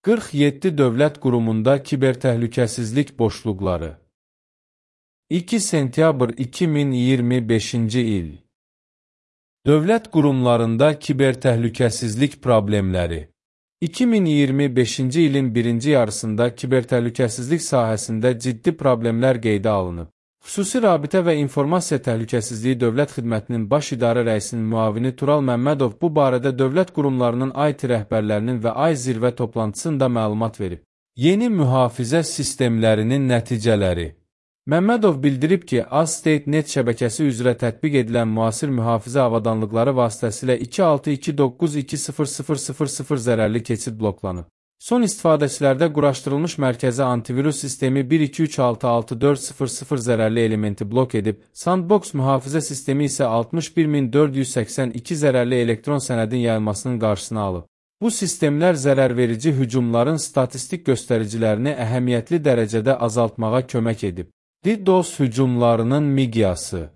47 dövlət qurumunda kibertəhlükəsizlik boşluqları. 2 sentyabr 2025-ci il. Dövlət qurumlarında kibertəhlükəsizlik problemləri. 2025-ci ilin birinci yarısında kibertəhlükəsizlik sahəsində ciddi problemlər qeydə alınıb. Xüsusi Rabitə və İnformasiya Təhlükəsizliyi Dövlət Xidmətinin Baş İdarə Rəisinin müavini Tural Məmmədov bu barədə dövlət qurumlarının IT rəhbərlərinin və ay zirvə toplantısında məlumat verib. Yeni mühafizə sistemlərinin nəticələri. Məmmədov bildirib ki, AzState.net şəbəkəsi üzrə tətbiq edilən müasir mühafizə avadanlıqları vasitəsilə 262.2.20.000 zərərli keçid bloklanıb. Son istifadəçilərdə quraşdırılmış mərkəzi antivirus sistemi 1236640 zərərli elementi blok edib, Sandbox mühafizə sistemi isə 61482 zərərli elektron sənədin yayılmasının qarşısını alıb. Bu sistemlər zərərverici hücumların statistik göstəricilərini əhəmiyyətli dərəcədə azaltmağa kömək edib. DDoS hücumlarının miqyası.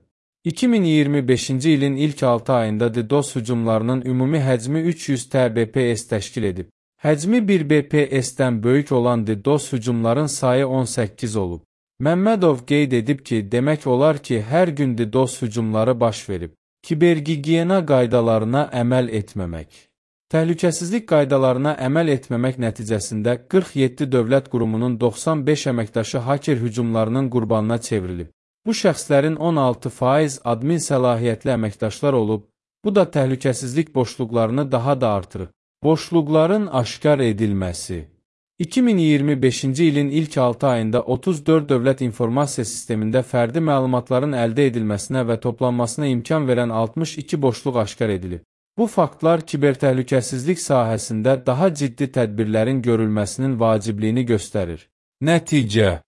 2025-ci ilin ilk 6 ayında DDoS hücumlarının ümumi həcmi 300 TBPS təşkil edib. Həcmi 1 BPS-dən böyük olan DDoS hücumların sayı 18 olub. Məmmədov qeyd edib ki, demək olar ki, hər gün DDoS hücumları baş verib. Kibergigiyena qaydalarına əməl etməmək. Təhlükəsizlik qaydalarına əməl etməmək nəticəsində 47 dövlət qurumunun 95 əməkdaşı haker hücumlarının qurbanına çevrilib. Bu şəxslərin 16% admin səlahiyyətli əməkdaşlar olub, bu da təhlükəsizlik boşluqlarını daha da artırıb. Boşluqların aşkar edilməsi. 2025-ci ilin ilk 6 ayında 34 dövlət informasiya sistemində fərdi məlumatların əldə edilməsinə və toplanmasına imkan verən 62 boşluq aşkar edilib. Bu faktlar kibertəhlükəsizlik sahəsində daha ciddi tədbirlərin görülməsinin vacibliyini göstərir. Nəticə.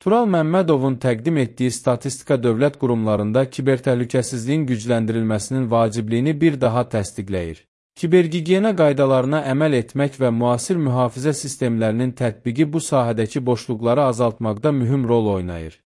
Tural Məmmədovun təqdim etdiyi statistika dövlət qurumlarında kibertəhlükəsizliyin gücləndirilməsinin vacibliyini bir daha təsdiqləyir. Kibergigiyena qaydalarına əməl etmək və müasir mühafizə sistemlərinin tətbiqi bu sahədəki boşluqları azaltmaqda mühüm rol oynayır.